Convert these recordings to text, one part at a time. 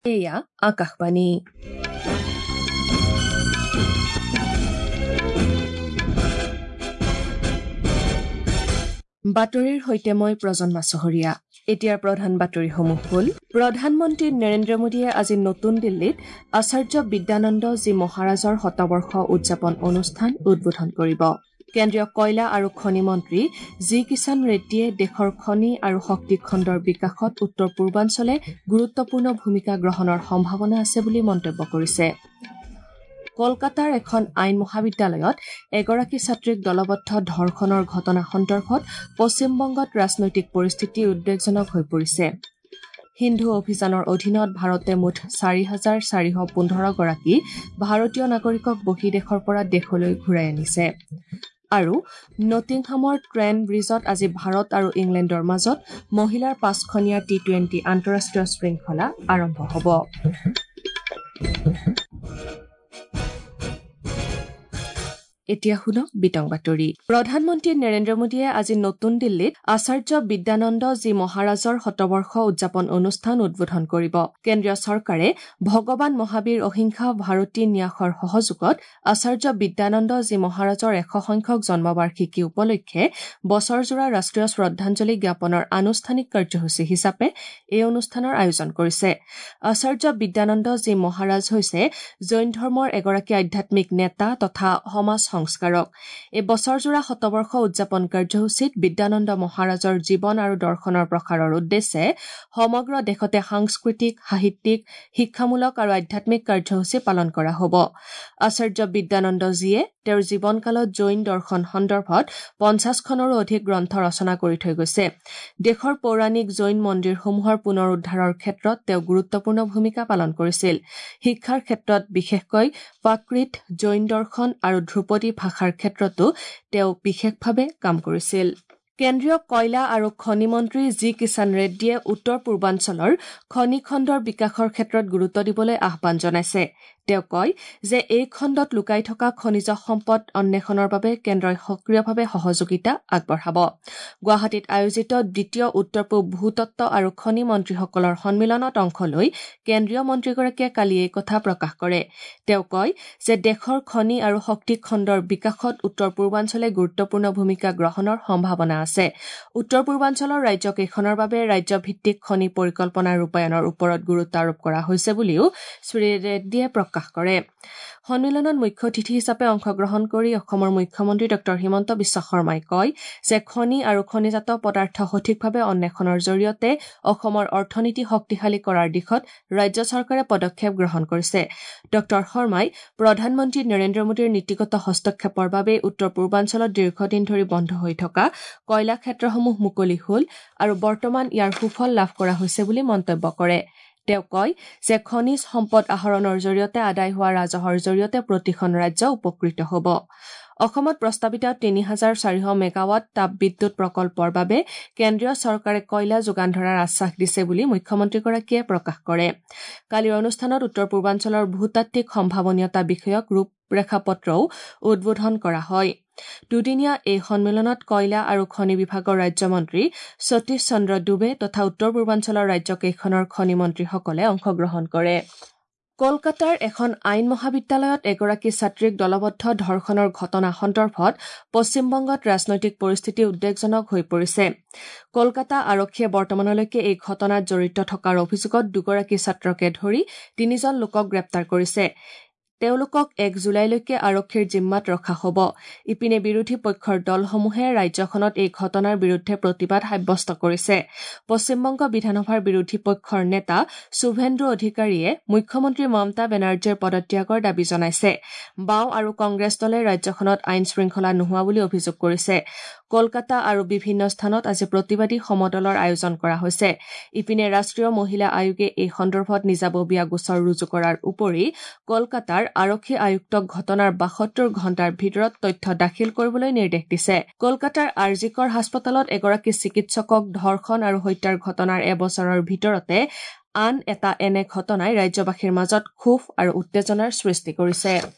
এয়া আকাশবাণী। বাতৰিৰ সৈতে মই প্ৰজন্মা চহৰীয়া। এতিয়াৰ প্ৰধান বাতৰিসমূহ হ'ল: প্ৰধানমন্ত্ৰী নৰেন্দ্ৰ মোদীয়ে আজি নতুন দিল্লীত আচাৰ্য বিদ্যানন্দ জী মহাৰাজৰ শতবৰ্ষ উদযাপন অনুষ্ঠান উদ্বোধন কৰিব। কেন্দ্ৰীয় কয়লা আৰু খনি মন্ত্ৰী জি কিষাণ ৰেড্ডীয়ে দেশৰ খনি আৰু শক্তি খণ্ডৰ বিকাশত উত্তৰ পূৰ্বাঞ্চলে গুৰুত্বপূৰ্ণ ভূমিকা গ্ৰহণৰ সম্ভাৱনা আছে বুলি মন্তব্য কৰিছে। কলকাতাৰ এখন আইন মহাবিদ্যালয়ত এগৰাকী ছাত্ৰীক দলবদ্ধ ধৰ্ষণৰ ঘটনা সন্দৰ্ভত পশ্চিমবংগত ৰাজনৈতিক পৰিস্থিতি উদ্বেগজনক হৈ পৰিছে। সিন্ধু অভিযানৰ অধীনত ভাৰতে মুঠ 4,415 গৰাকী ভাৰতীয় নাগৰিকক বহিঃদেশৰ পৰা দেশলৈ ঘূৰাই আনিছে। আৰু নটিংহামৰ ট্ৰেণ্ট ব্ৰিজত আজি ভাৰত আৰু ইংলেণ্ডৰ মাজত মহিলাৰ 5খনীয়া টি-20 আন্তঃৰাষ্ট্ৰীয় শৃংখলা আৰম্ভ হ'ব। এতিয়া শুনক বিতং বাতৰি। প্ৰধানমন্ত্ৰী নৰেন্দ্ৰ মোদীয়ে আজি নতুন দিল্লীত আচাৰ্য বিদ্যানন্দ জী মহাৰাজৰ শতবৰ্ষ উদযাপন অনুষ্ঠান উদ্বোধন কৰিব। কেন্দ্ৰীয় চৰকাৰে ভগৱান মহাবীৰ অহিংসা ভাৰতী ন্যাসৰ সহযোগত আচাৰ্য বিদ্যানন্দ জী মহাৰাজৰ 100 সংখ্যক জন্মবাৰ্ষিকী উপলক্ষে বছৰজোৰা ৰাষ্ট্ৰীয় শ্ৰদ্ধাঞ্জলি জ্ঞাপনৰ আনুষ্ঠানিক কাৰ্যসূচী হিচাপে এই অনুষ্ঠানৰ আয়োজন কৰিছে। আচাৰ্য বিদ্যানন্দ জী মহাৰাজ হৈছে জৈন ধৰ্মৰ এগৰাকী আধ্যাত্মিক নেতা তথা সমাজ সংস্কাৰক। এই বছৰজোৰা শতবৰ্ষ উদযাপন কাৰ্যসূচীত বিদ্যানন্দ মহাৰাজৰ জীৱন আৰু দৰ্শনৰ প্ৰসাৰৰ উদ্দেশ্যে সমগ্ৰ দেশতে সাংস্কৃতিক, সাহিত্যিক, শিক্ষামূলক আৰু আধ্যাত্মিক কাৰ্যসূচী পালন কৰা হ'ব। আচাৰ্য বিদ্যানন্দজীয়ে তেওঁৰ জীৱনকালত জৈন দৰ্শন সন্দৰ্ভত 50খনৰো অধিক গ্ৰন্থ ৰচনা কৰি থৈ গৈছে। দেশৰ পৌৰাণিক জৈন মন্দিৰসমূহৰ পুনৰুদ্ধাৰৰ ক্ষেত্ৰত তেওঁ গুৰুত্বপূৰ্ণ ভূমিকা পালন কৰিছিল। শিক্ষাৰ ক্ষেত্ৰত বিশেষকৈ প্ৰাকৃত, জৈন দৰ্শন আৰু ধ্ৰুপদী ভাষাৰ ক্ষেত্ৰতো তেওঁ বিশেষভাৱে কাম কৰিছিল। কেন্দ্ৰীয় কয়লা আৰু খনি মন্ত্ৰী জি কিষাণ ৰেড্ডীয়ে উত্তৰ পূৰ্বাঞ্চলৰ খনি খণ্ডৰ বিকাশৰ ক্ষেত্ৰত গুৰুত্ব দিবলৈ আহ্বান জনাইছে। তেওঁ কয় যে এই খণ্ডত লুকাই থকা খনিজ সম্পদ অন্বেষণৰ বাবে কেন্দ্ৰই সক্ৰিয়ভাৱে সহযোগিতা আগবঢ়াব। গুৱাহাটীত আয়োজিত দ্বিতীয় উত্তৰ পূব ভূতত্ব আৰু খনি মন্ত্ৰীসকলৰ সন্মিলনত অংশ লৈ কেন্দ্ৰীয় মন্ত্ৰীগৰাকীয়ে কালি এই কথা প্ৰকাশ কৰে। তেওঁ কয় যে দেশৰ খনি আৰু শক্তি খণ্ডৰ বিকাশত উত্তৰ পূৰ্বাঞ্চলে গুৰুত্বপূৰ্ণ ভূমিকা গ্ৰহণৰ সম্ভাৱনা আছে। উত্তৰ পূৰ্বাঞ্চলৰ ৰাজ্যকেইখনৰ বাবে ৰাজ্যভিত্তিক খনি পৰিকল্পনা ৰূপায়ণৰ ওপৰত গুৰুত্ব আৰোপ কৰা হৈছে বুলিও শ্ৰী ৰেড্ডীয়ে প্ৰকাশ কৰে। সন্মিলনত মুখ্য অতিথি হিচাপে অংশগ্ৰহণ কৰি অসমৰ মুখ্যমন্ত্ৰী ডঃ হিমন্ত বিশ্ব শৰ্মাই কয় যে খনি আৰু খনিজাত পদাৰ্থ সঠিকভাৱে অন্বেষণৰ জৰিয়তে অসমৰ অৰ্থনীতি শক্তিশালী কৰাৰ দিশত ৰাজ্য চৰকাৰে পদক্ষেপ গ্ৰহণ কৰিছে। ডঃ শৰ্মাই প্ৰধানমন্ত্ৰী নৰেন্দ্ৰ মোদীৰ নীতিগত হস্তক্ষেপৰ বাবে উত্তৰ পূৰ্বাঞ্চলত দীৰ্ঘদিন ধৰি বন্ধ হৈ থকা কয়লা ক্ষেত্ৰসমূহ মুকলি হ'ল আৰু বৰ্তমান ইয়াৰ সুফল লাভ কৰা হৈছে বুলি মন্তব্য কৰে। তেওঁ কয় যে খনিজ সম্পদ আহৰণৰ জৰিয়তে আদায় হোৱা ৰাজহৰ জৰিয়তে প্ৰতিখন ৰাজ্য উপকৃত হ'ব। অসমত প্ৰস্তাৱিত 3,400 মেগাৱাট তাপবিদ্যুৎ প্ৰকল্পৰ বাবে কেন্দ্ৰীয় চৰকাৰে কয়লা যোগান ধৰাৰ আশ্বাস দিছে বুলি মুখ্যমন্ত্ৰীগৰাকীয়ে প্ৰকাশ কৰে। কালিৰ অনুষ্ঠানত উত্তৰ পূৰ্বাঞ্চলৰ ভূতাত্ত্বিক সম্ভাৱনীয়তা বিষয়ক ৰূপৰেখাপত্ৰও উদ্বোধন কৰা হয়। দুদিনীয়া এই সন্মিলনত কয়লা আৰু খনি বিভাগৰ ৰাজ্যমন্ত্ৰী সতীশ চন্দ্ৰ ডুবে তথা উত্তৰ পূৰ্বাঞ্চলৰ ৰাজ্যকেইখনৰ খনি মন্ত্ৰীসকলে অংশগ্ৰহণ কৰে। কলকাতাৰ এখন আইন মহাবিদ্যালয়ত এগৰাকী ছাত্ৰীক দলবদ্ধ ধৰ্ষণৰ ঘটনা সন্দৰ্ভত পশ্চিমবংগত ৰাজনৈতিক পৰিস্থিতি উদ্বেগজনক হৈ পৰিছে। কলকাতা আৰক্ষীয়ে বৰ্তমানলৈকে এই ঘটনাত জড়িত থকাৰ অভিযোগত দুগৰাকী ছাত্ৰকে ধৰি 3জন লোকক গ্ৰেপ্তাৰ কৰিছে। তেওঁলোকক 1 জুলাইলৈকে আৰক্ষীৰ জিম্মাত ৰখা হ'ব। ইপিনে বিৰোধী পক্ষৰ দলসমূহে ৰাজ্যখনত এই ঘটনাৰ বিৰুদ্ধে প্ৰতিবাদ সাব্যস্ত কৰিছে। পশ্চিমবংগ বিধানসভাৰ বিৰোধী পক্ষৰ নেতা শুভেন্দু অধিকাৰীয়ে মুখ্যমন্ত্ৰী মমতা বেনাৰ্জীৰ পদত্যাগৰ দাবী জনাইছে। বাওঁ আৰু কংগ্ৰেছ দলে ৰাজ্যখনত আইন শৃংখলা নোহোৱা বুলি অভিযোগ কৰিছে। কলকাতা আৰু বিভিন্ন স্থানত আজি প্ৰতিবাদী সমদলৰ আয়োজন কৰা হৈছে। ইপিনে ৰাষ্ট্ৰীয় মহিলা আয়োগে এই সন্দৰ্ভত নিজাববীয়া গোচৰ ৰুজু কৰাৰ উপৰি কলকাতাৰ আৰক্ষী আয়ুক্তক ঘটনাৰ 72 ঘণ্টাৰ ভিতৰত তথ্য দাখিল কৰিবলৈ নিৰ্দেশ দিছে। কলকাতাৰ আৰজিকৰ হাস্পতালত এগৰাকী চিকিৎসকক ধৰ্ষণ আৰু হত্যাৰ ঘটনাৰ এবছৰৰ ভিতৰতে আন এটা এনে ঘটনাই ৰাজ্যবাসীৰ মাজত ক্ষোভ আৰু উত্তেজনাৰ সৃষ্টি কৰিছে।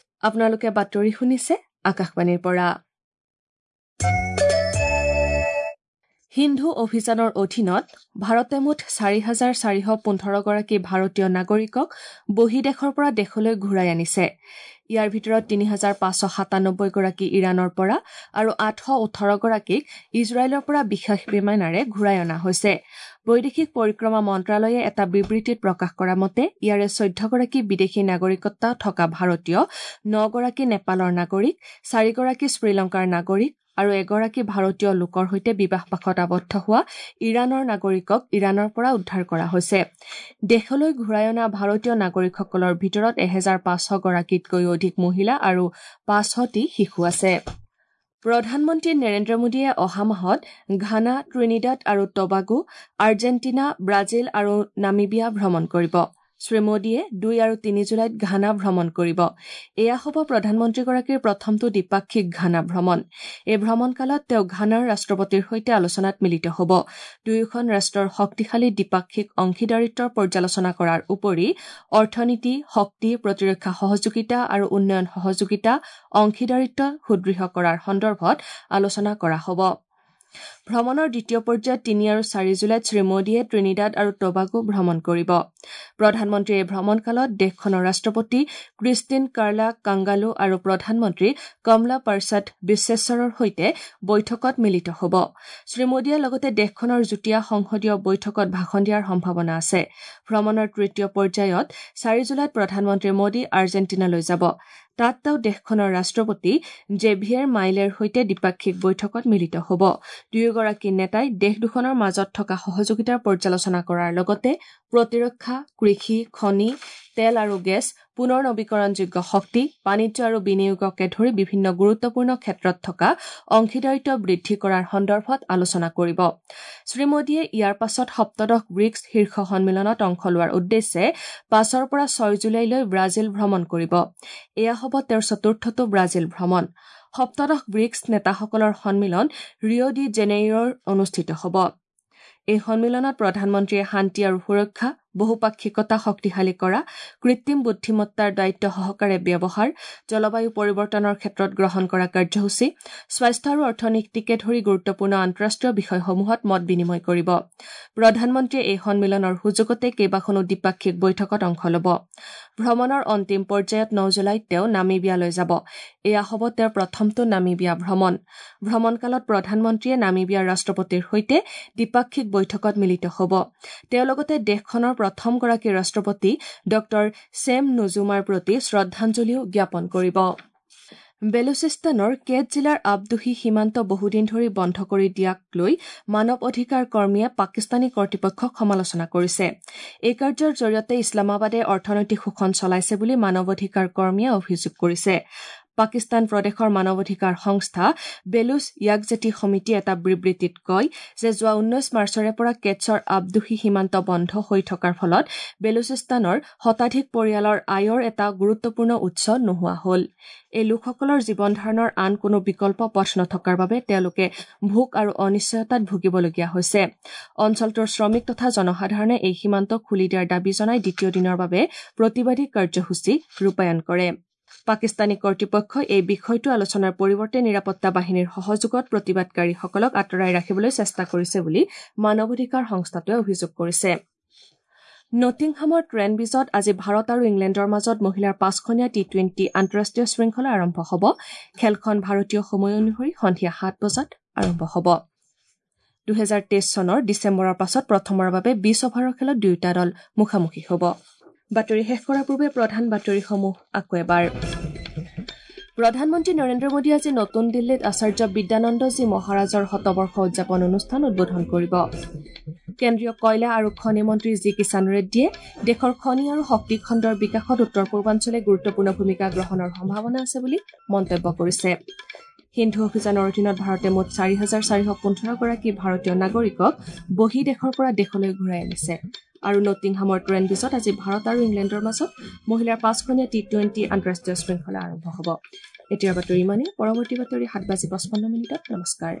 আপোনালোকে বাতৰি শুনিছে আকাশবাণীৰ পৰা। সিন্ধু অভিযানৰ অধীনত ভাৰতে মুঠ 4,415গৰাকী ভাৰতীয় নাগৰিকক বহিঃদেশৰ পৰা দেশলৈ ঘূৰাই আনিছে। ইয়াৰ ভিতৰত 3,597গৰাকী ইৰাণৰ পৰা আৰু 818গৰাকীক ইজৰাইলৰ পৰা বিশেষ বিমানেৰে ঘূৰাই অনা হৈছে। বৈদেশিক পৰিক্ৰমা মন্ত্ৰালয়ে এটা বিবৃতিত প্ৰকাশ কৰা মতে ইয়াৰে 14গৰাকী বিদেশী নাগৰিকত্ব থকা ভাৰতীয়, 9গৰাকী নেপালৰ নাগৰিক, 4গৰাকী শ্ৰীলংকাৰ নাগৰিক আৰু এগৰাকী ভাৰতীয় লোকৰ সৈতে বিবাহপাশত আবদ্ধ হোৱা ইৰাণৰ নাগৰিকক ইৰাণৰ পৰা উদ্ধাৰ কৰা হৈছে। দেশলৈ ঘূৰাই অনা ভাৰতীয় নাগৰিকসকলৰ ভিতৰত 1,500গৰাকীতকৈও অধিক মহিলা আৰু 500টি শিশু আছে। প্ৰধানমন্ত্ৰী নৰেন্দ্ৰ মোদীয়ে অহা মাহত ঘানা, ট্ৰিনিডাড আৰু টবাগো, আৰ্জেণ্টিনা, ব্ৰাজিল আৰু নামিবিয়া ভ্ৰমণ কৰিব। শ্ৰী মোদীয়ে 2 আৰু 3 জুলাইত ঘানা ভ্ৰমণ কৰিব। এয়া হ'ব প্ৰধানমন্ত্ৰীগৰাকীৰ প্ৰথমটো দ্বিপাক্ষিক ঘানা ভ্ৰমণ। এই ভ্ৰমণকালত তেওঁ ঘানাৰ ৰাষ্ট্ৰপতিৰ সৈতে আলোচনাত মিলিত হ'ব। দুয়োখন ৰাষ্ট্ৰৰ শক্তিশালী দ্বিপাক্ষিক অংশীদাৰিত্বৰ পৰ্যালোচনা কৰাৰ উপৰি অৰ্থনীতি, শক্তি, প্ৰতিৰক্ষা সহযোগিতা আৰু উন্নয়ন সহযোগিতা অংশীদাৰিত্ব সুদৃঢ় কৰাৰ সন্দৰ্ভত আলোচনা কৰা হ'ব। ভ্ৰমণৰ দ্বিতীয় পৰ্যায়ত 3 আৰু 4 জুলাইত শ্ৰী মোদীয়ে ট্ৰিনিডাড আৰু টবাগো ভ্ৰমণ কৰিব। প্ৰধানমন্ত্ৰীয়ে এই ভ্ৰমণকালত দেশখনৰ ৰাষ্ট্ৰপতি ক্ৰিষ্টিন কাৰ্লা কাংগালো আৰু প্ৰধানমন্ত্ৰী কমলা পাৰসাদ বিশ্বেশ্বৰৰ সৈতে বৈঠকত মিলিত হ'ব। শ্ৰী মোদীয়ে লগতে দেশখনৰ যুটীয়া সংসদীয় বৈঠকত ভাষণ দিয়াৰ সম্ভাৱনা আছে। ভ্ৰমণৰ তৃতীয় পৰ্যায়ত 4 জুলাইত প্ৰধানমন্ত্ৰী মোদী আৰ্জেণ্টিনালৈ যাব। তাত তেওঁ দেশখনৰ ৰাষ্ট্ৰপতি জেভিয়েৰ মাইলেৰ সৈতে দ্বিপাক্ষিক বৈঠকত মিলিত হ'ব। দুয়োগৰাকী নেতাই দেশ দুখনৰ মাজত থকা সহযোগিতাৰ পৰ্যালোচনা কৰাৰ লগতে প্ৰতিৰক্ষা, কৃষি, খনি, তেল আৰু গেছ, পুনৰ নৱীকৰণযোগ্য শক্তি, বাণিজ্য আৰু বিনিয়োগকে ধৰি বিভিন্ন গুৰুত্বপূৰ্ণ ক্ষেত্ৰত থকা অংশীদাৰিত্ব বৃদ্ধি কৰাৰ সন্দৰ্ভত আলোচনা কৰিব। শ্ৰী মোদীয়ে ইয়াৰ পাছত সপ্তদশ ব্ৰিক্স শীৰ্ষ সন্মিলনত অংশ লোৱাৰ উদ্দেশ্যে 5ৰ পৰা 6 জুলাইলৈ ব্ৰাজিল ভ্ৰমণ কৰিব। এয়া হ'ব তেওঁৰ চতুৰ্থটো ব্ৰাজিল ভ্ৰমণ। সপ্তদশ ব্ৰিক্স নেতাসকলৰ সন্মিলন ৰিঅ' ডি জেনেইৰোত অনুষ্ঠিত হ'ব। এই সন্মিলনত প্ৰধানমন্ত্ৰীয়ে শান্তি আৰু সুৰক্ষা, বহুপাক্ষিকতা শক্তিশালী কৰা, কৃত্ৰিম বুদ্ধিমত্তাৰ দায়িত্ব সহকাৰে ব্যৱহাৰ, জলবায়ু পৰিৱৰ্তনৰ ক্ষেত্ৰত গ্ৰহণ কৰা কাৰ্যসূচী, স্বাস্থ্য আৰু অৰ্থনীতিকে ধৰি গুৰুত্বপূৰ্ণ আন্তঃৰাষ্ট্ৰীয় বিষয়সমূহত মত বিনিময় কৰিব। প্ৰধানমন্ত্ৰীয়ে এই সন্মিলনৰ সুযোগতে কেইবাখনো দ্বিপাক্ষিক বৈঠকত অংশ ল'ব। ভ্ৰমণৰ অন্তিম পৰ্যায়ত 9 জুলাইত তেওঁ নামিবিয়ালৈ যাব। এয়া হ'ব তেওঁৰ প্ৰথমটো নামিবিয়া ভ্ৰমণ। ভ্ৰমণকালত প্ৰধানমন্ত্ৰীয়ে নামিবিয়াৰ ৰাষ্ট্ৰপতিৰ সৈতে দ্বিপাক্ষিক বৈঠকত মিলিত হ'ব। তেওঁ লগতে দেশখনৰ প্ৰথমগৰাকী ৰাষ্ট্ৰপতি ডঃ ছেম নুজুমাৰ প্ৰতি শ্ৰদ্ধাঞ্জলিও জ্ঞাপন কৰিব। বেলুচিস্তানৰ কেট জিলাৰ আবদুহি সীমান্ত বহুদিন ধৰি বন্ধ কৰি দিয়াক লৈ মানৱ অধিকাৰ কৰ্মীয়ে পাকিস্তানী কৰ্তৃপক্ষক সমালোচনা কৰিছে। এই কাৰ্যৰ জৰিয়তে ইছলামাবাদে অৰ্থনৈতিক শোষণ চলাইছে বুলি মানৱ অধিকাৰ কৰ্মীয়ে অভিযোগ কৰিছে। পাকিস্তান প্ৰদেশৰ মানৱ অধিকাৰ সংস্থা বেলুচ য়াকজেটি সমিতিয়ে এটা বিবৃতিত কয় যে যোৱা 19 মাৰ্চৰে পৰা কেটছৰ আবদুহি সীমান্ত বন্ধ হৈ থকাৰ ফলত বেলুচিস্তানৰ শতাধিক পৰিয়ালৰ আয়ৰ এটা গুৰুত্বপূৰ্ণ উৎস নোহোৱা হ'ল। এই লোকসকলৰ জীৱন ধাৰণৰ আন কোনো বিকল্প পথ নথকাৰ বাবে তেওঁলোকে ভোক আৰু অনিশ্চয়তাত ভুগিবলগীয়া হৈছে। অঞ্চলটোৰ শ্ৰমিক তথা জনসাধাৰণে এই সীমান্ত খুলি দিয়াৰ দাবী জনাই দ্বিতীয় দিনৰ বাবে প্ৰতিবাদী কাৰ্যসূচী ৰূপায়ণ কৰে। পাকিস্তানী কৰ্তৃপক্ষই এই বিষয়টো আলোচনাৰ পৰিৱৰ্তে নিৰাপত্তা বাহিনীৰ সহযোগত প্ৰতিবাদকাৰীসকলক আঁতৰাই ৰাখিবলৈ চেষ্টা কৰিছে বুলি মানৱ অধিকাৰ সংস্থাটোৱে অভিযোগ কৰিছে। নটিংহামৰ ট্ৰেণ্টব্ৰিজত আজি ভাৰত আৰু ইংলেণ্ডৰ মাজত মহিলাৰ 5খনীয়া টি-20 আন্তঃৰাষ্ট্ৰীয় শৃংখলা আৰম্ভ হ'ব। খেলখন ভাৰতীয় সময় অনুসৰি সন্ধিয়া 7 বজাত আৰম্ভ হ'ব। 2023 চনৰ ডিচেম্বৰৰ পাছত প্ৰথমবাৰৰ বাবে 20 অভাৰৰ খেলত দুয়োটা দল মুখামুখি হ'ব। বাতৰি শেষ কৰাৰ পূৰ্বে প্ৰধান বাতৰিসমূহ আকৌ এবাৰ। প্ৰধানমন্ত্ৰী নৰেন্দ্ৰ মোদীয়ে আজি নতুন দিল্লীত আচাৰ্য বিদ্যানন্দজী মহাৰাজৰ শতবৰ্ষ উদযাপন অনুষ্ঠান উদ্বোধন কৰিব। কেন্দ্ৰীয় কয়লা আৰু খনি মন্ত্ৰী জি কিষাণ ৰেড্ডীয়ে দেশৰ খনি আৰু শক্তি খণ্ডৰ বিকাশত উত্তৰ পূৰ্বাঞ্চলে গুৰুত্বপূৰ্ণ ভূমিকা গ্ৰহণৰ সম্ভাৱনা আছে বুলি মন্তব্য কৰিছে। সিন্ধু অভিযানৰ অধীনত ভাৰতে মুঠ 4,415গৰাকী ভাৰতীয় নাগৰিকক বহিঃদেশৰ পৰা দেশলৈ ঘূৰাই আনিছে। আৰু নটিংহামৰ ট্ৰেণ্টব্ৰিজত আজি ভাৰত আৰু ইংলেণ্ডৰ মাজত মহিলাৰ 5খনীয়া টি-20 আন্তঃৰাষ্ট্ৰীয় শৃংখলা আৰম্ভ হ'ব। এতিয়াৰ বাতৰি ইমানেই। পৰৱৰ্তী বাতৰি 7:55। নমস্কাৰ।